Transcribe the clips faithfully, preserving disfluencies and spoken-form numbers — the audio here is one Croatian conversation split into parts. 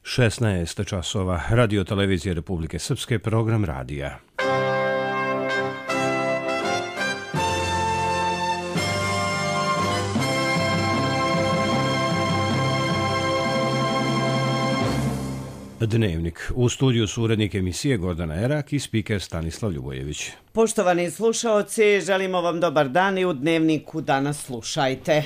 šesnaest časova, Radio televizije Republike Srpske, program radija. Dnevnik. U studiju su urednik emisije Gordana Erak i spiker Stanislav Ljubojević. Poštovani slušaoci, želimo vam dobar dan i u Dnevniku danas slušajte.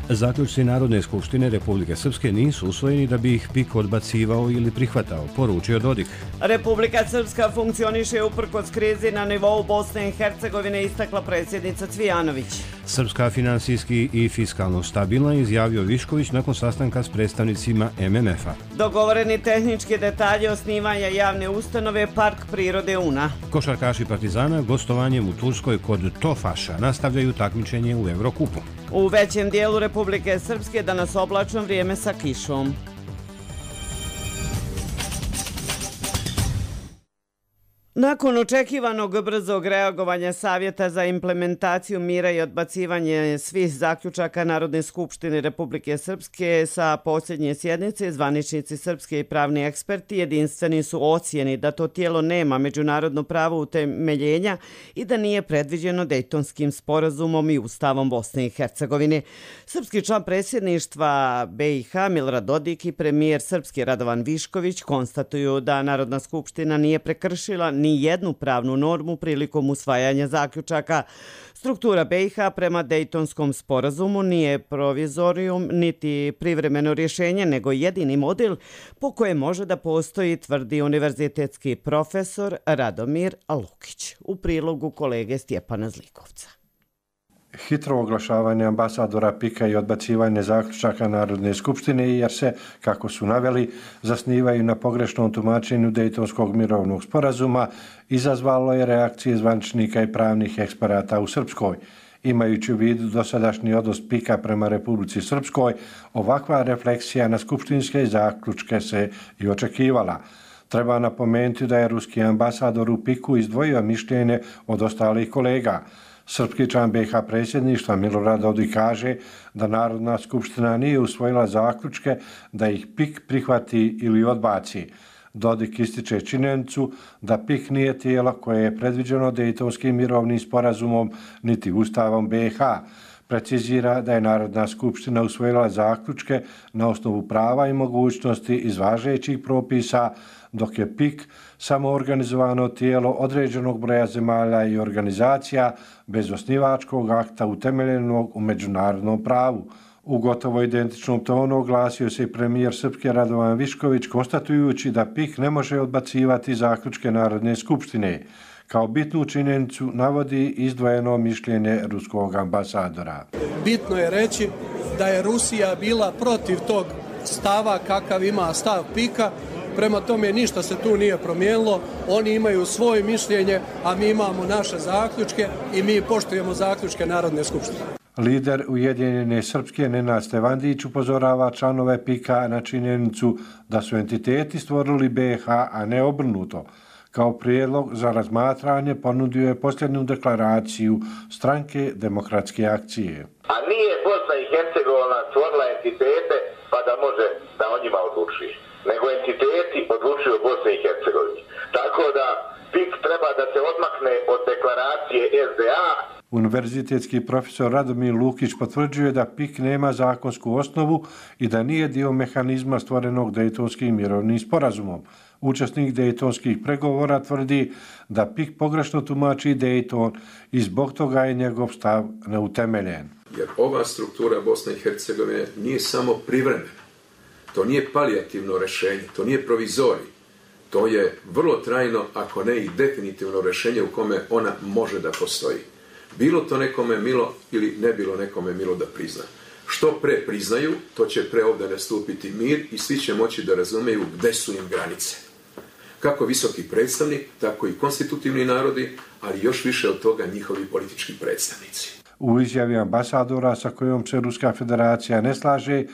Zaključci Narodne skupštine Republike Srpske nisu usvojeni da bi ih P I K odbacivao ili prihvatao, poručio Dodik. Republika Srpska funkcioniše uprkos krizi na nivou Bosne i Hercegovine, istakla predsjednica Cvijanović. Srpska finansijski i fiskalno stabilna, izjavio Višković nakon sastanka s predstavnicima M M F-a. Dogovoreni tehnički detalji osnivanja javne ustanove Park prirode Una. Košarkaši Partizana gostovanjem u Turskoj kod Tofaša nastavljaju takmičenje u Evrokupu. U većem dijelu Republike Srpske danas oblačno vrijeme sa kišom. Nakon očekivanog brzog reagovanja Savjeta za implementaciju mira i odbacivanje svih zaključaka Narodne skupštine Republike Srpske sa posljednje sjednice, zvaničnici srpske i pravni eksperti jedinstveni su ocjeni da to tijelo nema međunarodno pravo utemeljenja i da nije predviđeno Dejtonskim sporazumom i Ustavom Bosne i Hercegovine. Srpski član predsjedništva B i H Milorad Dodik i premijer srpski Radovan Višković konstatuju da Narodna skupština nije prekršila ni jednu pravnu normu prilikom usvajanja zaključaka. Struktura B i H prema Dejtonskom sporazumu nije provizorijum niti privremeno rješenje, nego jedini model po kojem može da postoji, tvrdi univerzitetski profesor Radomir Lukić. U prilogu kolege Stjepana Zlikovca. Hitro oglašavanje ambasadora P I K-a i odbacivanje zaključaka Narodne skupštine, jer se, kako su naveli, zasnivaju na pogrešnom tumačenju Dejtonskog mirovnog sporazuma, izazvalo je reakcije zvaničnika i pravnih eksperata u Srpskoj. Imajući u vidu dosadašnji odnos P I K-a prema Republici Srpskoj, ovakva refleksija na skupštinske zaključke se i očekivala. Treba napomenuti da je ruski ambasador u P I K-u izdvojio mišljenje od ostalih kolega. Srpski član B i H predsjedništva Milorad Dodik kaže da Narodna skupština nije usvojila zaključke da ih P I K prihvati ili odbaci. Dodik ističe činjenicu da P I K nije tijelo koje je predviđeno Dejtonskim mirovnim sporazumom niti Ustavom B i H. Precizira da je Narodna skupština usvojila zaključke na osnovu prava i mogućnosti iz važećih propisa, dok je P I K samo organizovano tijelo određenog broja zemalja i organizacija bez osnivačkog akta utemeljenog u međunarodnom pravu. U gotovo identičnom tonu oglasio se i premijer srpske Radovan Višković, konstatujući da P I K ne može odbacivati zaključke Narodne skupštine. Kao bitnu činjenicu navodi izdvojeno mišljenje ruskog ambasadora. Bitno je reći da je Rusija bila protiv tog stava kakav ima stav P I K-a, prema tome ništa se tu nije promijenilo, oni imaju svoje mišljenje, a mi imamo naše zaključke i mi poštujemo zaključke Narodne skupštine. Lider Ujedinjene Srpske Nenad Stevandić upozorava članove P I K-a na činjenicu da su entiteti stvorili B i H, a ne obrnuto. Kao prijedlog za razmatranje ponudio je posljednju deklaraciju Stranke demokratske akcije. A nije Bosna i Hercegovina stvorila entitete pa da može da o njima odlučuje, nego entiteti odlučuju o Bosni i Hercegovini. Tako da P I K treba da se odmakne od deklaracije S D A. Univerzitetski profesor Radomir Lukić potvrđuje da P I K nema zakonsku osnovu i da nije dio mehanizma stvorenog Dejtonskim mirovnim sporazumom. Učesnik Dejtonskih pregovora tvrdi da P I K pogrešno tumači Dejton i zbog toga je njegov stav neutemeljen. Jer ova struktura Bosne i Hercegovine nije samo privremena. To nije palijativno rješenje, to nije provizorij. To je vrlo trajno, ako ne i definitivno rješenje u kome ona može da postoji. Bilo to nekome milo ili ne bilo nekome milo da prizna. Što pre priznaju, to će pre ovdje nastupiti mir i svi će moći da razumeju gde su im granice. Kako visoki predstavnik, tako i konstitutivni narodi, ali još više od toga njihovi politički predstavnici. U izjavi ambasadora sa kojom se Ruska federacija ne slaže,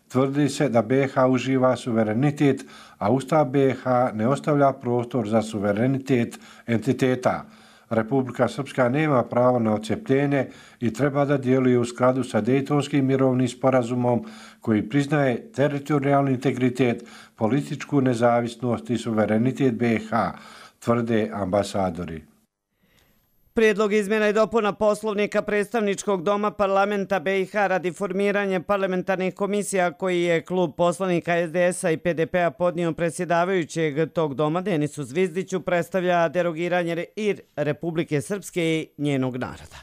tvrdi se da B i H uživa suverenitet, a Ustav B i H ne ostavlja prostor za suverenitet entiteta. Republika Srpska nema pravo na odcepljenje i treba da djeluje u skladu sa Dejtonskim mirovnim sporazumom koji priznaje teritorijalni integritet, političku nezavisnost i suverenitet B i H, tvrde ambasadori. Prijedlog izmjena i dopuna poslovnika predstavničkog doma parlamenta B i H radi formiranja parlamentarnih komisija koji je klub poslanika S D S-a i P D P-a podnio predsjedavajućeg tog doma Denisu Zvizdiću predstavlja derogiranje i Republike Srpske i njenog naroda.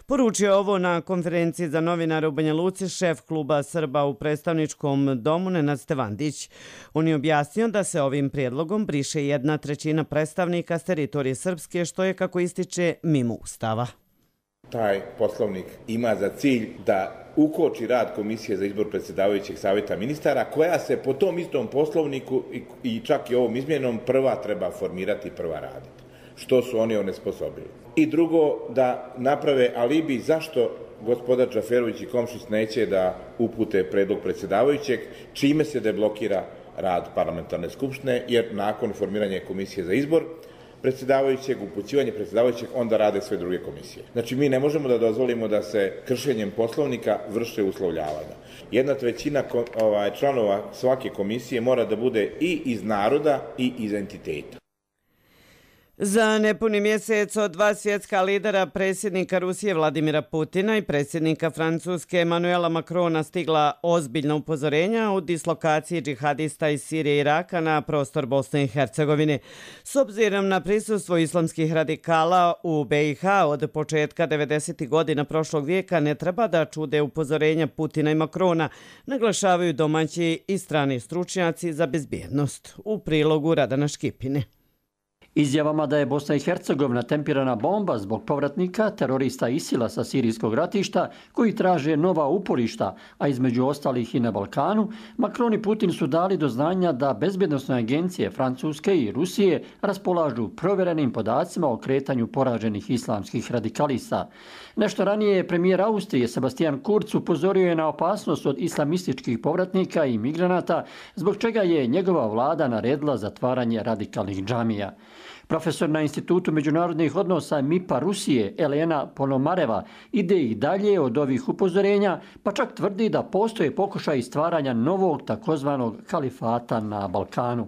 Poručio ovo na konferenciji za novinare u Banja Luci šef kluba Srba u predstavničkom domu Nenad Stevandić. On je objasnio da se ovim prijedlogom briše jedna trećina predstavnika s teritorije Srpske, što je, kako ističe, mimo Ustava. Taj poslovnik ima za cilj da ukoči rad Komisije za izbor predsjedavajućeg savjeta ministara, koja se po tom istom poslovniku i čak i ovom izmjenom prva treba formirati i prva raditi, što su oni onesposobili. I drugo, da naprave alibi zašto gospodar Džaferović i Komšić neće da upute predlog predsjedavajućeg, čime se deblokira rad parlamentarne skupštine, jer nakon formiranja Komisije za izbor predsjedavajućeg, upućivanje predsjedavajućeg, onda rade sve druge komisije. Znači, mi ne možemo da dozvolimo da se kršenjem poslovnika vrše uslovljavanja. Jedna trećina ovaj, članova svake komisije mora da bude i iz naroda i iz entiteta. Za nepuni mjesec od dva svjetska lidera, predsjednika Rusije Vladimira Putina i predsjednika Francuske Emmanuela Macrona, stigla ozbiljna upozorenja o dislokaciji džihadista iz Sirije i Iraka na prostor Bosne i Hercegovine. S obzirom na prisustvo islamskih radikala u B i H od početka devedesetih godina prošlog vijeka, ne treba da čude upozorenja Putina i Macrona, naglašavaju domaći i strani stručnjaci za bezbjednost. U prilogu Radana Škipine. Izjavama da je Bosna i Hercegovina tempirana bomba zbog povratnika terorista Isila sa sirijskog ratišta koji traže nova uporišta, a između ostalih i na Balkanu, Macron i Putin su dali do znanja da bezbjednosne agencije Francuske i Rusije raspolažu provjerenim podacima o kretanju poraženih islamskih radikalista. Nešto ranije je premijer Austrije Sebastian Kurz upozorio je na opasnost od islamističkih povratnika i migranata, zbog čega je njegova vlada naredila zatvaranje radikalnih džamija. Profesor na Institutu međunarodnih odnosa M I P-a Rusije Elena Ponomareva ide i dalje od ovih upozorenja, pa čak tvrdi da postoje pokušaj stvaranja novog takozvanog kalifata na Balkanu.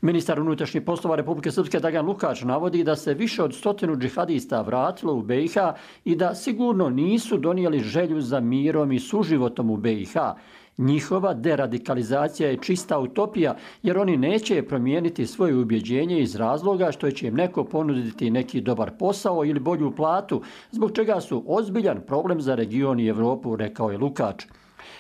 Ministar unutrašnjih poslova Republike Srpske Dragan Lukač navodi da se više od stotinu džihadista vratilo u B i H i da sigurno nisu donijeli želju za mirom i suživotom u B i H. Njihova deradikalizacija je čista utopija, jer oni neće promijeniti svoje ubjeđenje iz razloga što će im neko ponuditi neki dobar posao ili bolju platu, zbog čega su ozbiljan problem za region i Evropu, rekao je Lukač.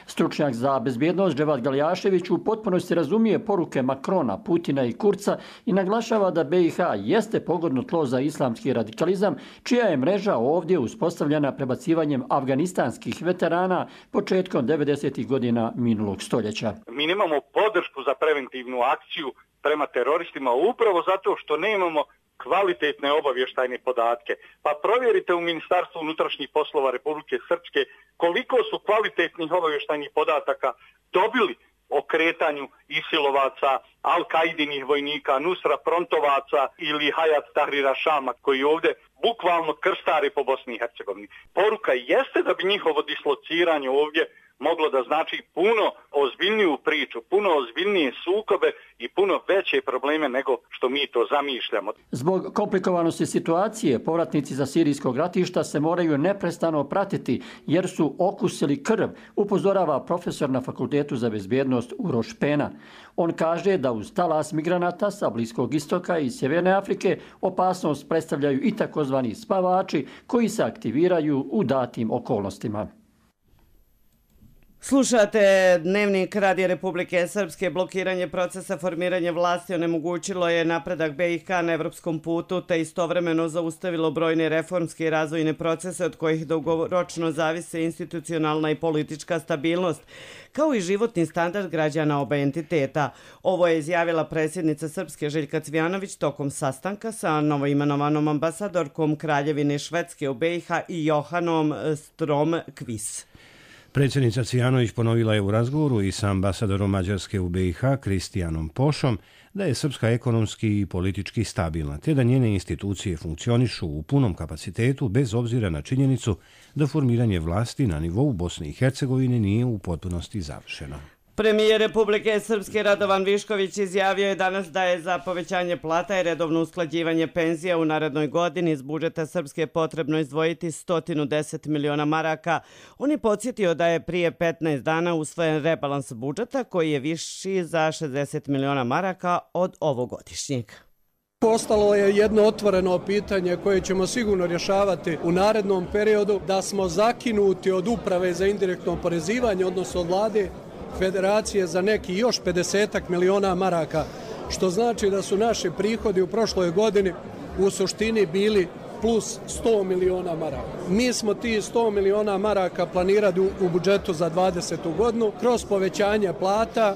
Stručnjak za bezbjednost Dževad Galjašević u potpunosti razumije poruke Macrona, Putina i Kurca i naglašava da B i H jeste pogodno tlo za islamski radikalizam, čija je mreža ovdje uspostavljena prebacivanjem afganistanskih veterana početkom devedesetih godina minulog stoljeća. Mi nemamo podršku za preventivnu akciju prema teroristima upravo zato što nemamo kvalitetne obavještajne podatke. Pa provjerite u Ministarstvu unutrašnjih poslova Republike Srpske koliko su kvalitetnih obavještajnih podataka dobili o kretanju isilovaca, Al-Kaidinih vojnika, Nusra Frontovaca ili Hayat Tahrira Šama, koji ovdje bukvalno krstari po Bosni i Hercegovini. Poruka jeste da bi njihovo dislociranje ovdje moglo da znači puno ozbiljniju priču, puno ozbiljnije sukobe i puno veće probleme nego što mi to zamišljamo. Zbog komplikovanosti situacije, povratnici za sirijskog ratišta se moraju neprestano pratiti jer su okusili krv, upozorava profesor na Fakultetu za bezbjednost Uroš Pena. On kaže da uz talas migranata sa Bliskog istoka i Sjeverne Afrike opasnost predstavljaju i takozvani spavači koji se aktiviraju u datim okolnostima. Slušate Dnevnik Radija Republike Srpske. Blokiranje procesa formiranja vlasti onemogućilo je napredak B i H na evropskom putu, te istovremeno zaustavilo brojne reformske i razvojne procese od kojih dugoročno zavise institucionalna i politička stabilnost, kao i životni standard građana oba entiteta. Ovo je izjavila predsjednica Srpske Željka Cvijanović tokom sastanka sa novoimenovanom ambasadorkom Kraljevine Švedske u B i H i Johanom Strom-Kvis. Predsjednica Cvijanović ponovila je u razgovoru i sa ambasadorom Mađarske u B i H Kristijanom Pošom da je Srpska ekonomski i politički stabilna, te da njene institucije funkcionišu u punom kapacitetu bez obzira na činjenicu da formiranje vlasti na nivou Bosne i Hercegovine nije u potpunosti završeno. Premijer Republike Srpske Radovan Višković izjavio je danas da je za povećanje plata i redovno usklađivanje penzija u narednoj godini iz budžeta Srpske potrebno izdvojiti sto deset miliona maraka. On je podsjetio da je prije petnaest dana usvojen rebalans budžeta koji je viši za šezdeset miliona maraka od ovogodišnjeg. Ostalo je jedno otvoreno pitanje koje ćemo sigurno rješavati u narednom periodu, da smo zakinuti od uprave za indirektno oporezivanje, odnosno od vlade Federacije za neki još pedesetak miliona maraka, što znači da su naši prihodi u prošloj godini u suštini bili plus sto miliona maraka. Mi smo ti sto miliona maraka planirali u budžetu za dvadesetu godinu kroz povećanje plata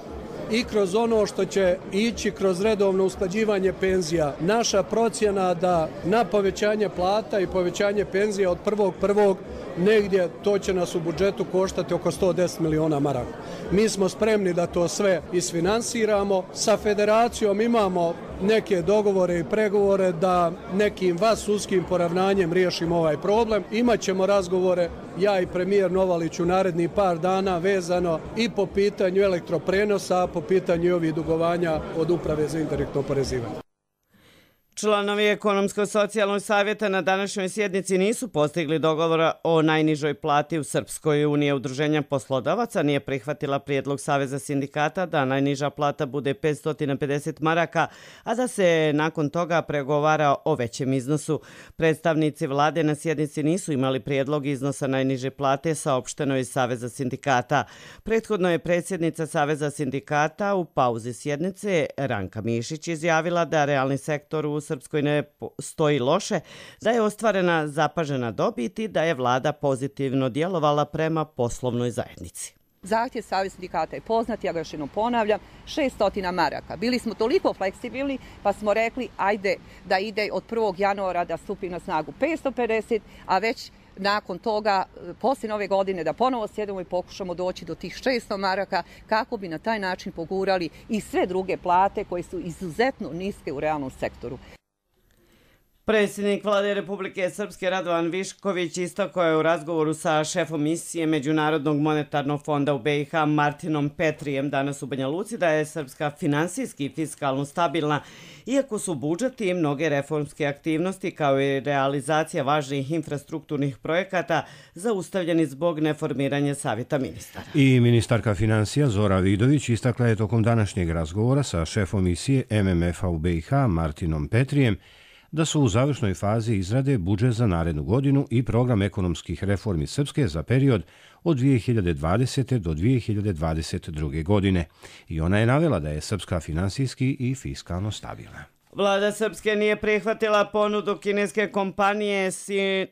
i kroz ono što će ići kroz redovno usklađivanje penzija. Naša procjena da na povećanje plata i povećanje penzija od prvog prvog negdje to će nas u budžetu koštati oko sto deset miliona maraka. Mi smo spremni da to sve isfinansiramo. Sa federacijom imamo neke dogovore i pregovore da nekim vansudskim poravnanjem riješimo ovaj problem. Imaćemo razgovore, ja i premijer Novalić, u narednih par dana vezano i po pitanju elektroprenosa, a po pitanju ovih dugovanja od uprave za indirektno oporezivanje. Članovi Ekonomsko-socijalnog savjeta na današnjoj sjednici nisu postigli dogovora o najnižoj plati u Srpskoj. Unija udruženja poslodavaca nije prihvatila prijedlog Saveza sindikata da najniža plata bude petsto pedeset maraka, a da se nakon toga pregovara o većem iznosu. Predstavnici vlade na sjednici nisu imali prijedlog iznosa najniže plate, saopšteno iz Saveza sindikata. Prethodno je predsjednica Saveza sindikata u pauzi sjednice Ranka Mišić izjavila da realni sektor u Srpskoj ne stoji loše, da je ostvarena zapažena dobit i da je vlada pozitivno djelovala prema poslovnoj zajednici. Zahtjev Saveza sindikata je poznat, ja ga još jednom ponavljam, šesto maraka. Bili smo toliko fleksibilni pa smo rekli ajde da ide od prvog januara da stupi na snagu petsto pedeset, a već nakon toga, poslije nove godine, da ponovo sjedemo i pokušamo doći do tih šesto maraka kako bi na taj način pogurali i sve druge plate koje su izuzetno niske u realnom sektoru. Predsjednik Vlade Republike Srpske Radovan Višković istakao je u razgovoru sa šefom misije Međunarodnog monetarnog fonda u B i H Martinom Petrijem danas u Banja Luci da je Srpska finansijski i fiskalno stabilna, iako su budžeti i mnoge reformske aktivnosti kao i realizacija važnih infrastrukturnih projekata zaustavljeni zbog neformiranja savjeta ministara. I ministarka financija Zora Vidović istakla je tokom današnjeg razgovora sa šefom misije M M F-a u B i H Martinom Petrijem da su u završnoj fazi izrade budžet za narednu godinu i program ekonomskih reformi Srpske za period od dvije hiljade dvadesete. do dvije hiljade dvadeset druge. godine. I ona je navela da je Srpska finansijski i fiskalno stabilna. Vlada Srpske nije prihvatila ponudu kineske kompanije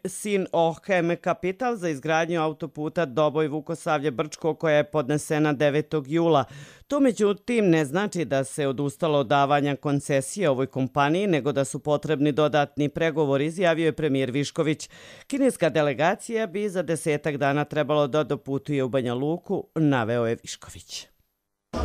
Sinohem Capital za izgradnju autoputa Doboj-Vukosavlje-Brčko koja je podnesena devetog jula. To međutim ne znači da se odustalo od davanja koncesije ovoj kompaniji, nego da su potrebni dodatni pregovori, izjavio je premijer Višković. Kineska delegacija bi za desetak dana trebalo da doputuje u Banja Luku, naveo je Višković.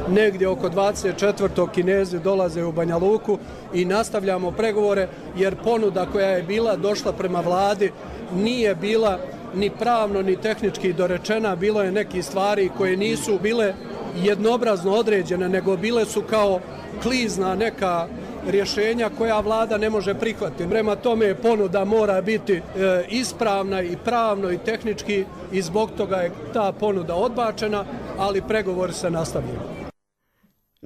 Negdje oko dvadeset četvrtog Kinezi dolaze u Banja Luku i nastavljamo pregovore jer ponuda koja je bila došla prema vladi nije bila ni pravno ni tehnički dorečena, bilo je nekih stvari koje nisu bile jednobrazno određene, nego bile su kao klizna neka rješenja koja vlada ne može prihvatiti. Prema tome ponuda mora biti e, ispravna i pravno i tehnički i zbog toga je ta ponuda odbačena, ali pregovori se nastavljaju.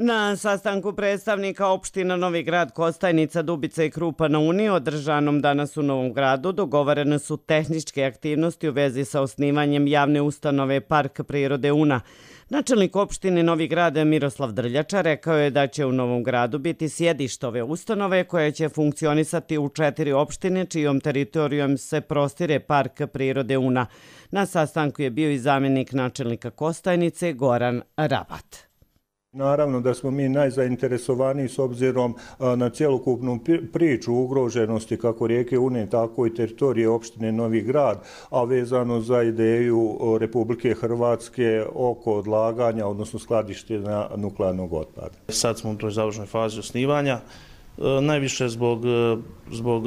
Na sastanku predstavnika opština Novi Grad, Kostajnica, Dubica i Krupa na Uniji, održanom danas u Novom Gradu, dogovorene su tehničke aktivnosti u vezi sa osnivanjem javne ustanove Park prirode Una. Načelnik opštine Novi Grad Miroslav Drljača rekao je da će u Novom Gradu biti sjedište ove ustanove koje će funkcionisati u četiri opštine čijom teritorijom se prostire Park prirode Una. Na sastanku je bio i zamjenik načelnika Kostajnice Goran Rabat. Naravno da smo mi najzainteresovaniji s obzirom na cjelokupnu priču ugroženosti kako rijeke Une, tako i teritorije opštine Novi Grad, a vezano za ideju Republike Hrvatske oko odlaganja, odnosno skladištenja nuklearnog otpada. Sad smo u toj završnoj fazi osnivanja, najviše zbog, zbog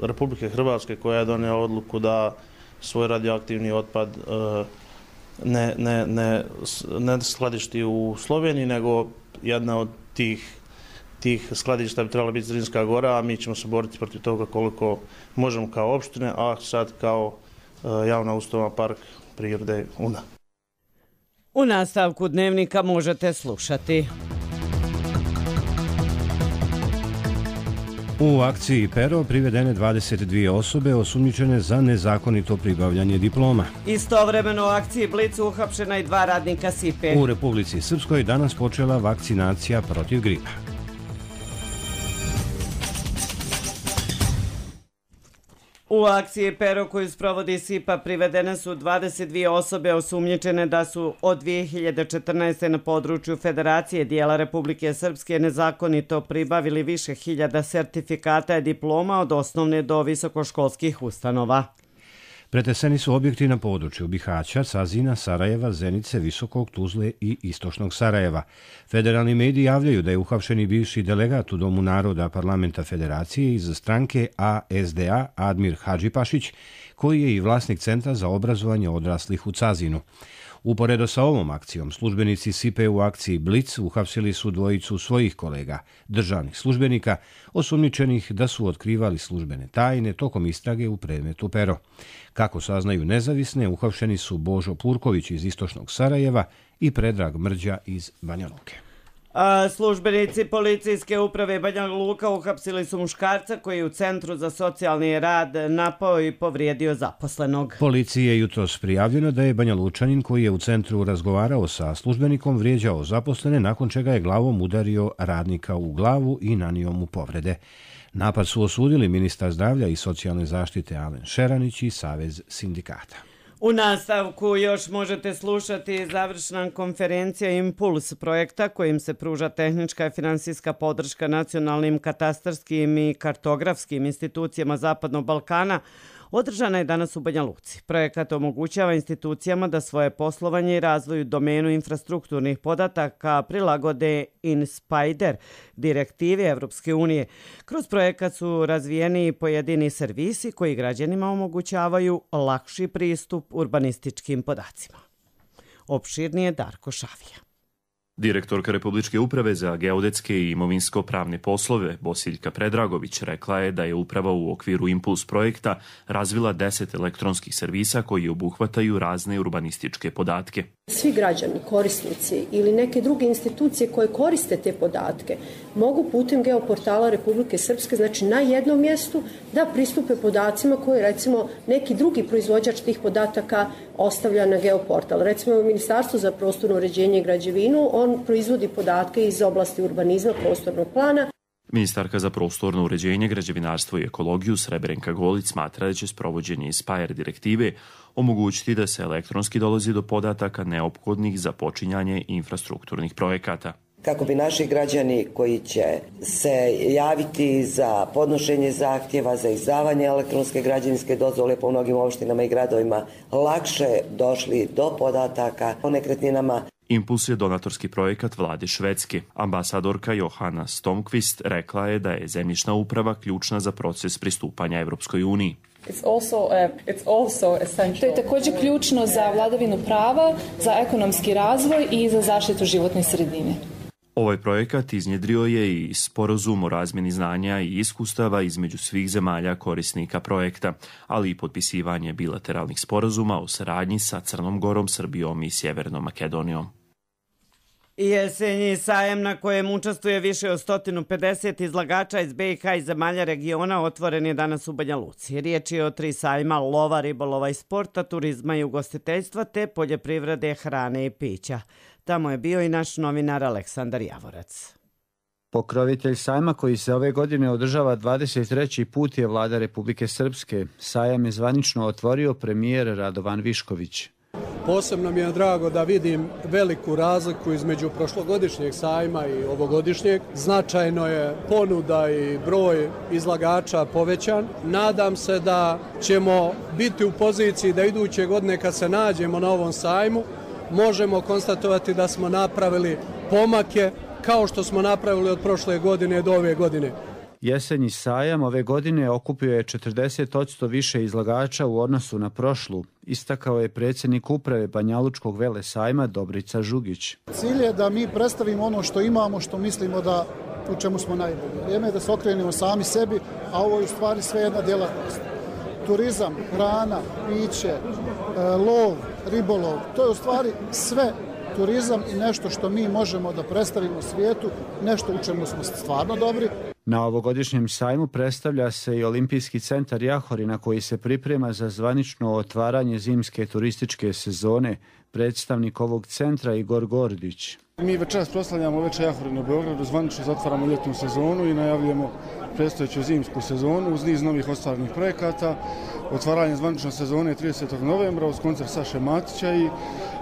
Republike Hrvatske koja je donijela odluku da svoj radioaktivni otpad Ne, ne, ne, ne skladišti u Sloveniji, nego jedna od tih, tih skladišta bi trebala biti Zrinska gora, a mi ćemo se boriti protiv toga koliko možemo kao opštine, a sad kao javna ustanova Park prirode Una. U nastavku Dnevnika možete slušati. U akciji Pero privedene dvadeset dvije osobe osumnjičene za nezakonito pribavljanje diploma. Istovremeno u akciji Blic uhapšena i dva radnika Sipe. U Republici Srpskoj danas počela vakcinacija protiv gripa. U akciji Pero koju sprovodi Sipa privedene su dvadeset dvije osobe osumnjičene da su od dvije hiljade četrnaeste. na području Federacije dijela Republike Srpske nezakonito pribavili više hiljada sertifikata i diploma od osnovne do visokoškolskih ustanova. Preteseni su objekti na području Bihaća, Cazina, Sarajeva, Zenice, Visokog, Tuzle i Istočnog Sarajeva. Federalni mediji javljaju da je uhapšeni bivši delegat u Domu naroda Parlamenta Federacije iz stranke A S D A Admir Hadžipašić, koji je i vlasnik Centra za obrazovanje odraslih u Cazinu. Uporedo sa ovom akcijom, službenici Sipe u akciji Blic uhapsili su dvojicu svojih kolega, državnih službenika, osumnjičenih da su otkrivali službene tajne tokom istrage u predmetu Pero. Kako saznaju nezavisne, uhapšeni su Božo Purković iz Istočnog Sarajeva i Predrag Mrđa iz Banja Luke. A službenici policijske uprave Banja Luka uhapsili su muškarca koji je u Centru za socijalni rad napao i povrijedio zaposlenog. Policiji je jutros prijavljeno da je Banja Lučanin koji je u centru razgovarao sa službenikom vrijeđao zaposlene, nakon čega je glavom udario radnika u glavu i nanio mu povrede. Napad su osudili ministar zdravlja i socijalne zaštite Alen Šeranić i Savez sindikata. U nastavku još možete slušati završna konferencija Impuls projekta kojim se pruža tehnička i finansijska podrška nacionalnim katastarskim i kartografskim institucijama Zapadnog Balkana. Održana je danas u Banja Luci. Projekat omogućava institucijama da svoje poslovanje i razvoj u domenu infrastrukturnih podataka prilagode InSpider, direktivi Evropske unije. Kroz projekat su razvijeni pojedini servisi koji građanima omogućavaju lakši pristup urbanističkim podacima. Opširnije Darko Šavija. Direktorka Republičke uprave za geodetske i imovinsko-pravne poslove Bosiljka Predragović rekla je da je uprava u okviru Impuls projekta razvila deset elektronskih servisa koji obuhvataju razne urbanističke podatke. Svi građani, korisnici ili neke druge institucije koje koriste te podatke mogu putem geoportala Republike Srpske, znači na jednom mjestu, da pristupe podacima koje recimo neki drugi proizvođač tih podataka ostavlja na geoportal. Recimo Ministarstvo za prostorno uređenje i građevinu, on proizvodi podatke iz oblasti urbanizma, prostornog plana. Ministarka za prostorno uređenje, građevinarstvo i ekologiju Srebrenka Golić smatra da će sprovođenje InSpider direktive omogućiti da se elektronski dolazi do podataka neophodnih za počinjanje infrastrukturnih projekata. Kako bi naši građani koji će se javiti za podnošenje zahtjeva za izdavanje elektronske građevinske dozvole po mnogim opštinama i gradovima lakše došli do podataka o nekretninama. Impuls je donatorski projekat vlade Švedske. Ambasadorka Johanna Stomqvist rekla je da je zemljišna uprava ključna za proces pristupanja Evropskoj uniji. To je također ključno za vladavinu prava, za ekonomski razvoj i za zaštitu životne sredine. Ovaj projekat iznjedrio je i sporazum o razmjeni znanja i iskustava između svih zemalja korisnika projekta, ali i potpisivanje bilateralnih sporazuma o saradnji sa Crnom Gorom, Srbijom i Sjevernom Makedonijom. Jesenji sajem na kojem učestvuje više od sto pedeset izlagača iz B i H i zemalja regiona otvoren je danas u Banja Luci. Riječ je o tri sajma: lova, ribolova i sporta, turizma i ugostiteljstva te poljoprivrede, hrane i pića. Tamo je bio i naš novinar Aleksandar Javorac. Pokrovitelj sajma koji se ove godine održava dvadeset treći put je vlada Republike Srpske. Sajam je zvanično otvorio premijer Radovan Višković. Posebno mi je drago da vidim veliku razliku između prošlogodišnjeg sajma i ovogodišnjeg. Značajno je ponuda i broj izlagača povećan. Nadam se da ćemo biti u poziciji da iduće godine kad se nađemo na ovom sajmu možemo konstatovati da smo napravili pomake kao što smo napravili od prošle godine do ove godine. Jesenji sajam ove godine okupio je četrdeset posto više izlagača u odnosu na prošlu, istakao je predsjednik uprave Banjalučkog velesajma Dobrica Žugić. Cilj je da mi predstavimo ono što imamo, što mislimo da u čemu smo najbolji. Vrijeme je da se okrenemo sami sebi, a ovo je u stvari sve jedna djelatnost. Turizam, hrana, piće, lov, ribolov, to je u stvari sve turizam i nešto što mi možemo da predstavimo svijetu, nešto u čemu smo stvarno dobri. Na ovogodišnjem sajmu predstavlja se i Olimpijski centar Jahorina koji se priprema za zvanično otvaranje zimske turističke sezone. Predstavnik ovog centra Igor Gordić. Mi večeras proslavljamo Veče Jahorina u Beogradu, zvanično zatvaramo ljetnu sezonu i najavljujemo predstojeću zimsku sezonu uz niz novih ostvarenih projekata. Otvaranje zvanične sezone tridesetog novembra uz koncert Saše Matića i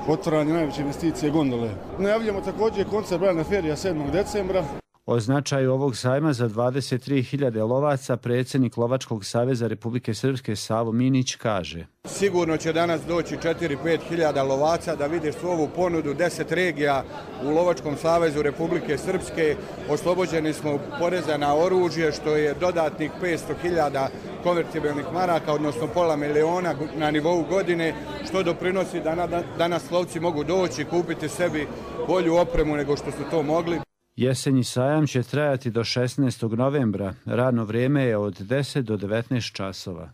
otvaranje najveće investicije gondole. Najavljujemo također koncert Brajana Ferija sedmog decembra. O značaju ovog sajma za dvadeset tri hiljade lovaca predsjednik Lovačkog saveza Republike Srpske Savo Minić kaže: Sigurno će danas doći četiri do pet hiljada lovaca da vide svu ovu ponudu, deset regija u Lovačkom savezu Republike Srpske. Oslobođeni smo poreza na oružje, što je dodatnih petsto hiljada konvertibilnih maraka, odnosno pola miliona na nivou godine, što doprinosi da danas lovci mogu doći kupiti sebi bolju opremu nego što su to mogli. Jesenji sajam će trajati do šesnaestog novembra. Radno vrijeme je od deset do devetnaest časova.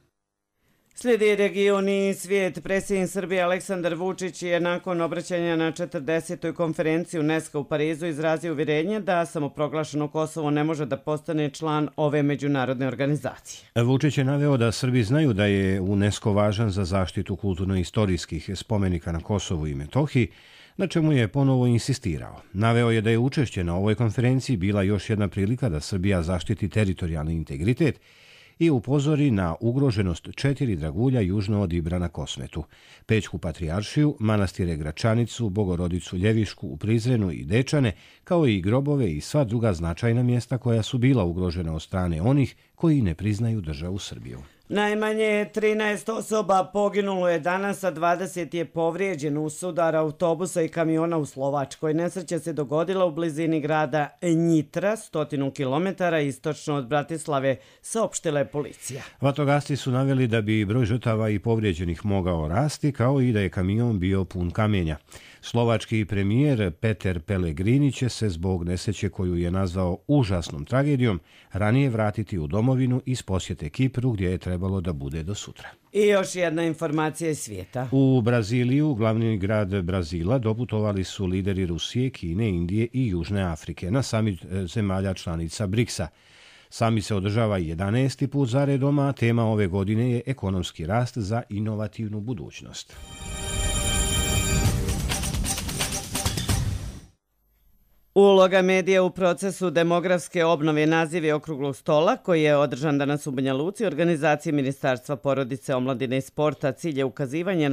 Slijedi region i svijet. Predsjednik Srbije Aleksandar Vučić je nakon obraćanja na četrdesetoj konferenciji UNESCO u Parizu izrazio uvjerenje da samoproglašeno Kosovo ne može da postane član ove međunarodne organizacije. Vučić je naveo da Srbi znaju da je UNESCO važan za zaštitu kulturno-istorijskih spomenika na Kosovu i Metohiji, na čemu je ponovo insistirao. Naveo je da je učešće na ovoj konferenciji bila još jedna prilika da Srbija zaštiti teritorijalni integritet i upozori na ugroženost četiri dragulja južno od Ibra na Kosmetu, Pećku patrijaršiju, manastire Gračanicu, Bogorodicu Ljevišku u Prizrenu i Dečane, kao i grobove i sva druga značajna mjesta koja su bila ugrožena od strane onih koji ne priznaju državu Srbiju. Najmanje trinaest osoba poginulo je danas, a dvadeset je povrijeđeno u sudar autobusa i kamiona u Slovačkoj. Nesreća se dogodila u blizini grada Njitra, stotinu kilometara istočno od Bratislave, saopštila je policija. Vatrogasci su naveli da bi broj žrtava i povrijeđenih mogao rasti, kao i da je kamion bio pun kamenja. Slovački premijer Peter Pellegrini će se zbog nesreće koju je nazvao užasnom tragedijom ranije vratiti u domovinu iz posjete Kipru gdje je trebalo da bude do sutra. I još jedna informacija iz svijeta. U Braziliju, glavni grad Brazila, doputovali su lideri Rusije, Kine, Indije i Južne Afrike na samit zemalja članica briksa. Samit se održava jedanaesti put za redom, a tema ove godine je ekonomski rast za inovativnu budućnost. Uloga medija u procesu demografske obnove naziv je okruglog stola koji je održan danas u Banja Luci, organizacije Ministarstva porodice, omladine i sporta. Cilj je ukazivanje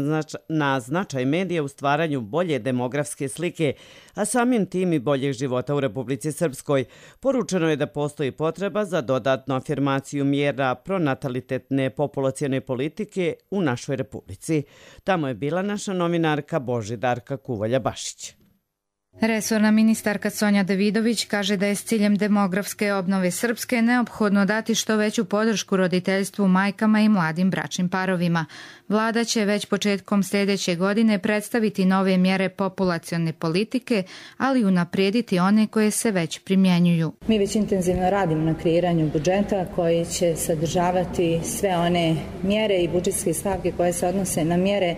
na značaj medija u stvaranju bolje demografske slike, a samim tim i boljeg života u Republici Srpskoj. Poručeno je da postoji potreba za dodatnu afirmaciju mjera pronatalitetne populacione politike u našoj Republici. Tamo je bila naša novinarka Božidarka Kuvalja-Bašić. Resorna ministarka Sonja Davidović kaže da je s ciljem demografske obnove Srpske neophodno dati što veću podršku roditeljstvu, majkama i mladim bračnim parovima. Vlada će već početkom sljedeće godine predstaviti nove mjere populacione politike, ali unaprijediti one koje se već primjenjuju. Mi već intenzivno radimo na kreiranju budžeta koji će sadržavati sve one mjere i budžetske stavke koje se odnose na mjere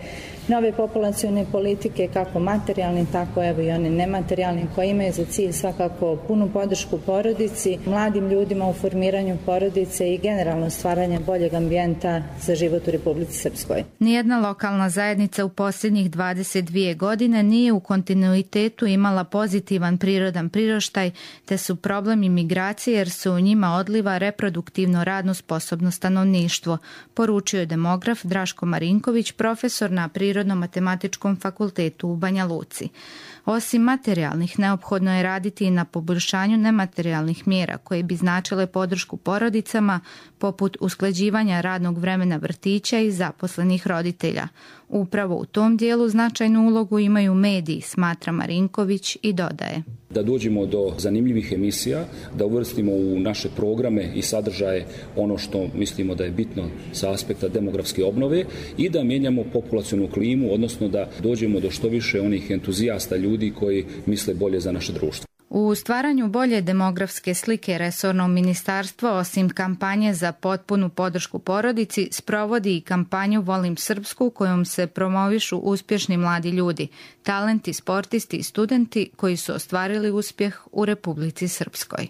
nove populacione politike, kako materijalne, tako evo i one nematerijalne, koje imaju za cilj svakako punu podršku porodici, mladim ljudima u formiranju porodice i generalno stvaranje boljeg ambijenta za život u Republici Srpskoj. Nijedna lokalna zajednica u posljednjih dvadeset dvije godine nije u kontinuitetu imala pozitivan prirodan priraštaj, te su problem imigracije jer se u njima odliva reproduktivno radno sposobno stanovništvo, poručio je demograf Draško Marinković, profesor na prirodnom Prirodno-matematičkom fakultetu u Banja Luci. Osim materijalnih, neophodno je raditi i na poboljšanju nematerijalnih mjera koje bi značile podršku porodicama, poput usklađivanja radnog vremena vrtića i zaposlenih roditelja. Upravo u tom dijelu značajnu ulogu imaju mediji, smatra Marinković i dodaje. Da dođemo do zanimljivih emisija, da uvrstimo u naše programe i sadržaje ono što mislimo da je bitno sa aspekta demografske obnove i da mijenjamo populacionu klimu, odnosno da dođemo do što više onih entuzijasta ljudi koji misle bolje za naše društvo. U stvaranju bolje demografske slike resorno ministarstvo, osim kampanje za potpunu podršku porodici, sprovodi i kampanju Volim Srpsku, kojom se promovišu uspješni mladi ljudi, talenti, sportisti i studenti koji su ostvarili uspjeh u Republici Srpskoj.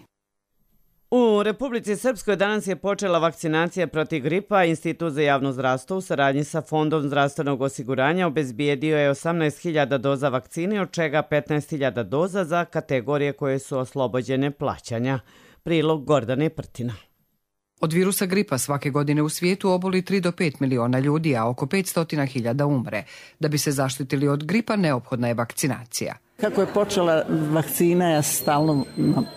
U Republici Srpskoj danas je počela vakcinacija protiv gripa. Institut za javno zdravstvo u saradnji sa Fondom zdravstvenog osiguranja obezbijedio je osamnaest hiljada doza vakcine, od čega petnaest hiljada doza za kategorije koje su oslobođene plaćanja. Prilog Gordane Prtina. Od virusa gripa svake godine u svijetu oboli tri do pet miliona ljudi, a oko petsto hiljada umre. Da bi se zaštitili od gripa, neophodna je vakcinacija. Kako je počela vakcina, ja stalno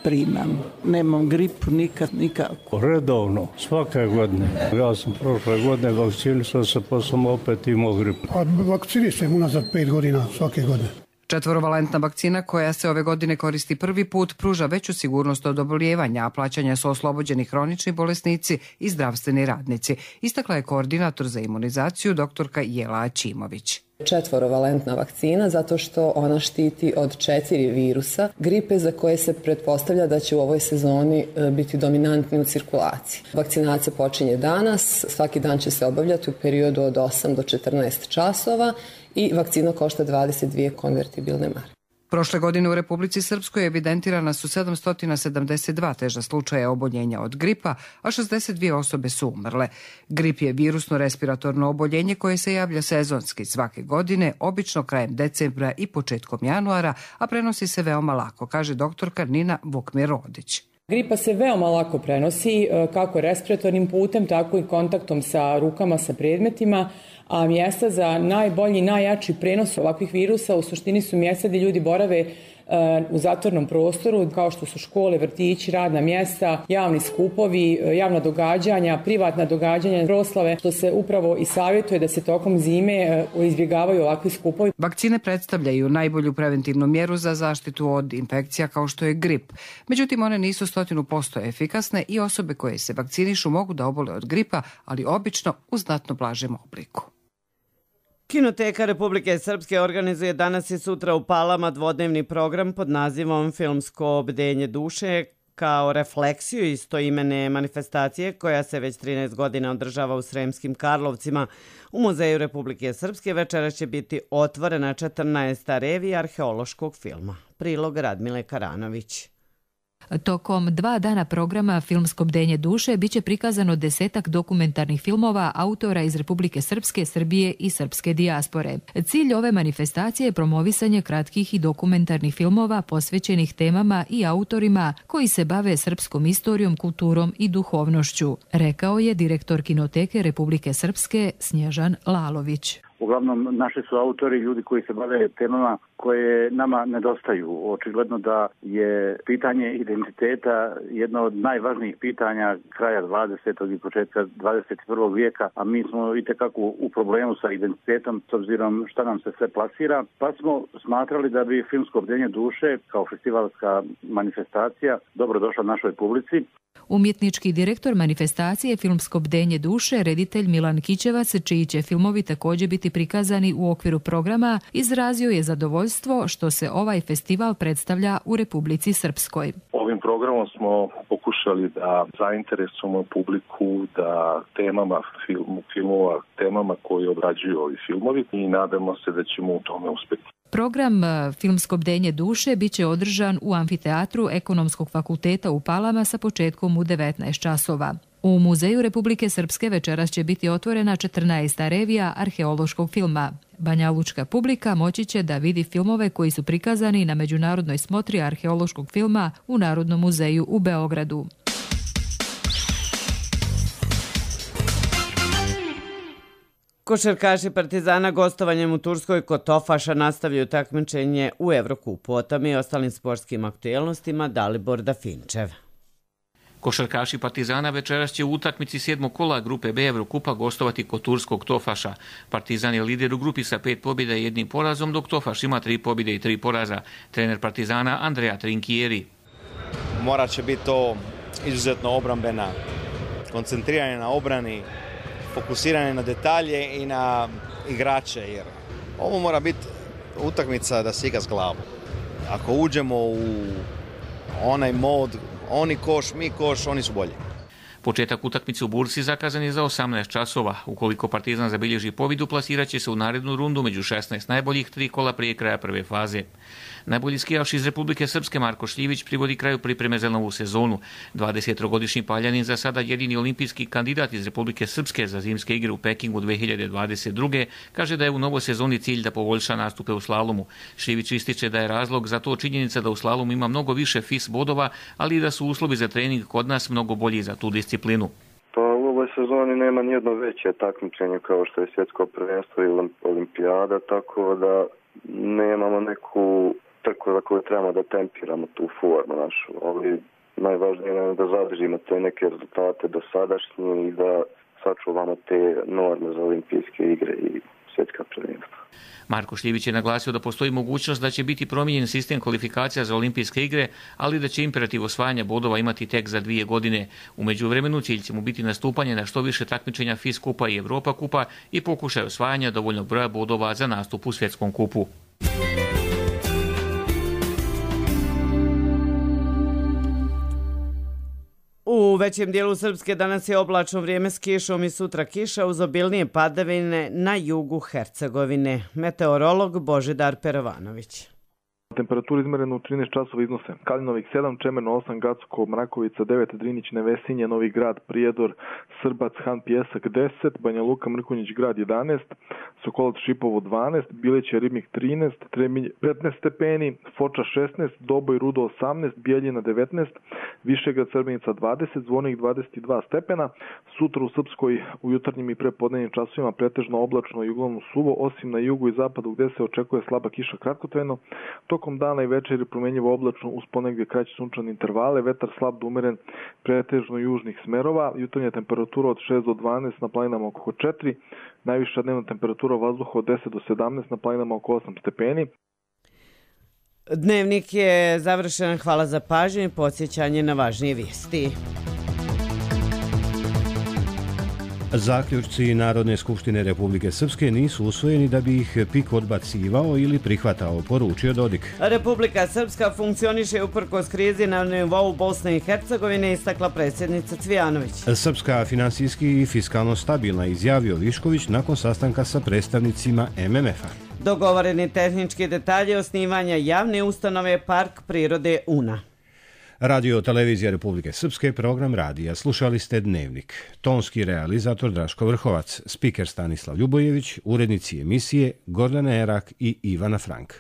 primam. Nemam gripu nikad, nikako. Redovno, svake godine. Ja sam prošle godine vakcinisao se, pa sam opet imao gripu. Vakcinisam unazad pet godina, svake godine. Četvorovalentna vakcina koja se ove godine koristi prvi put pruža veću sigurnost od obolijevanja, a plaćanja su oslobođeni hronični bolesnici i zdravstveni radnici, istakla je koordinator za imunizaciju doktorka Jela Ačimović. Četvorovalentna vakcina zato što ona štiti od četiri virusa gripe za koje se pretpostavlja da će u ovoj sezoni biti dominantni u cirkulaciji. Vakcinacija počinje danas, svaki dan će se obavljati u periodu od osam do četrnaest časova i vakcina košta dvadeset dvije konvertibilne marke. Prošle godine u Republici Srpskoj evidentirana su sedamsto sedamdeset dva teža slučaja oboljenja od gripa, a šezdeset dvije osobe su umrle. Grip je virusno respiratorno oboljenje koje se javlja sezonski svake godine, obično krajem decembra i početkom januara, a prenosi se veoma lako, kaže doktorka Nina Vukmir-Rodić. Gripa se veoma lako prenosi kako respiratornim putem, tako i kontaktom sa rukama, sa predmetima, a mjesta za najbolji, najjači prenos ovakvih virusa u suštini su mjesta gdje ljudi borave u zatvornom prostoru, kao što su škole, vrtići, radna mjesta, javni skupovi, javna događanja, privatna događanja, proslave, što se upravo i savjetuje da se tokom zime izbjegavaju ovakvi skupovi. Vakcine predstavljaju najbolju preventivnu mjeru za zaštitu od infekcija kao što je grip. Međutim, one nisu stotinu posto efikasne i osobe koje se vakcinišu mogu da obole od gripa, ali obično u znatno blažem obliku. Kinoteka Republike Srpske organizuje danas i sutra u Palama dvodnevni program pod nazivom Filmsko bdenje duše kao refleksiju istoimene manifestacije koja se već trinaest godina održava u Sremskim Karlovcima. U Muzeju Republike Srpske večera će biti otvorena četrnaesta revija arheološkog filma. Prilog Radmile Karanović. Tokom dva dana programa Filmsko bdenje duše biće prikazano desetak dokumentarnih filmova autora iz Republike Srpske, Srbije i srpske dijaspore. Cilj ove manifestacije je promovisanje kratkih i dokumentarnih filmova posvećenih temama i autorima koji se bave srpskom istorijom, kulturom i duhovnošću, rekao je direktor Kinoteke Republike Srpske Snježan Lalović. Uglavnom, naši su autori ljudi koji se bave temama koje nama nedostaju. Očigledno da je pitanje identiteta jedno od najvažnijih pitanja kraja dvadesetog i početka dvadeset prvog vijeka, a mi smo itekako u problemu sa identitetom s obzirom šta nam se sve plasira, pa smo smatrali da bi Filmsko bdenje duše kao festivalska manifestacija dobro došla našoj publici. Umjetnički direktor manifestacije Filmsko bdenje duše, reditelj Milan Kićevac, čiji će filmovi također biti prikazani u okviru programa, izrazio je zadovoljstvo što se ovaj festival predstavlja u Republici Srpskoj. Ovim programom smo pokušali da zainteresujemo publiku da temama filmu, filmova, temama koje obrađuju ovi filmovi i nadamo se da ćemo u tome uspjeti. Program Filmsko bdenje duše biće održan u amfiteatru Ekonomskog fakulteta u Palama sa početkom u devetnaest časova. U Muzeju Republike Srpske večeras će biti otvorena četrnaesta revija arheološkog filma. Banjalučka publika moći će da vidi filmove koji su prikazani na međunarodnoj smotri arheološkog filma u Narodnom muzeju u Beogradu. Košarkaši Partizana gostovanjem u Turskoj kod Tofaša nastavljaju takmičenje u Evrokupu. O tome i ostalim sportskim aktuelnostima Dalibor Dafinčev. Košarkaši Partizana večeras će u utakmici sedmog kola grupe B Evrokupa gostovati kod turskog Tofaša. Partizan je lider u grupi sa pet pobjeda i jednim porazom, dok Tofaš ima tri pobjede i tri poraza. Trener Partizana Andrea Trinkieri. Morat će biti to izuzetno obrambena, koncentriranje na obrani, fokusiranje na detalje i na igrače, jer ovo mora biti utakmica da se igra s glavom. Ako uđemo u onaj mod, oni koš, mi koš, oni su bolji. Početak utakmice u Bursi zakazan je za osamnaest časova. Ukoliko Partizan zabilježi pobjedu, plasirat će se u narednu rundu među šesnaest najboljih tri kola prije kraja prve faze. Najbolji skijaš iz Republike Srpske Marko Šljivić privodi kraju pripreme za novu sezonu. dvadesettrogodišnji Paljanin za sada jedini olimpijski kandidat iz Republike Srpske za zimske igre u Pekingu dve hiljade dvadeset druge kaže da je u novoj sezoni cilj da poboljša nastupe u slalomu. Šljivić ističe da je razlog za to činjenica da u slalomu ima mnogo više F I S bodova, ali i da su uslovi za trening kod nas mnogo bolji za tu disciplinu. Pa u ovoj sezoni nema nijedno veće takmičenje kao što je svjetsko prvenstvo ili olimpijada, tako da nemamo neku trku za koju trebamo da tempiramo tu formu našu. Ali najvažnije je da zadržimo te neke rezultate dosadašnje i da sačuvamo te norme za olimpijske igre i svjetska prvenstva. Marko Šljivić je naglasio da postoji mogućnost da će biti promijenjen sistem kvalifikacija za olimpijske igre, ali da će imperativ osvajanja bodova imati tek za dvije godine. U međuvremenu cilj će mu biti nastupanje na što više takmičenja F I S kupa i Evropa kupa i pokušaj osvajanja dovoljnog broja bodova za nastup u svjetskom kupu. U većem dijelu Srpske danas je oblačno vrijeme s kišom i sutra kiša uz obilnije padavine na jugu Hercegovine. Meteorolog Božidar Perovanović. Temperatura izmerena u trinaest časova iznose Kalinovik sedam, Čemerno osam, Gacko, Mrakovica devet, Drinić, Nevesinje, Novi Grad, Prijedor, Srbac, Han Pjesak deset, Banja Luka, Mrkonjić Grad jedanaest, Sokolac, Šipovo dvanaest, Bileće, Ribnik trinaest, Trebinje petnaest stepeni, Foča šesnaest, Doboj, Rudo osamnaest, Bijeljina devetnaest, Višegrad, Srbenica dvadeset, Zvornik dvadeset dva stepena. Sutra u Srpskoj u jutarnjim i prepodnevnim časovima pretežno oblačno i uglavnom suvo, osim na jugu i zapadu gdje se očekuje slaba kiša kratkotrajno. Tokom dana i večeri promjenjivo oblačno uz ponegdje kraće sunčane intervale, vetar slab do umeren pretežno južnih smerova, jutarnja temperatura od šest do dvanaest, na planinama oko četiri, najviša dnevna temperatura vazduha od deset do sedamnaest, na planinama oko osam stepeni. Dnevnik je završen, hvala za pažnju i podsjećanje na važnije vijesti. Zaključci Narodne skupštine Republike Srpske nisu usvojeni da bi ih PIK odbacivao ili prihvatao, poručio Dodik. Republika Srpska funkcioniše uprkos krizi na nivou Bosne i Hercegovine, istakla predsjednica Cvijanović. Srpska finansijski i fiskalno stabilna, izjavio Višković nakon sastanka sa predstavnicima M M F-a. Dogovoreni tehnički detalji osnivanja javne ustanove Park prirode Una. Radio Televizija Republike Srpske, program radija. Slušali ste Dnevnik. Tonski realizator Draško Vrhovac, spiker Stanislav Ljubojević, urednici emisije Gordana Erak i Ivana Frank.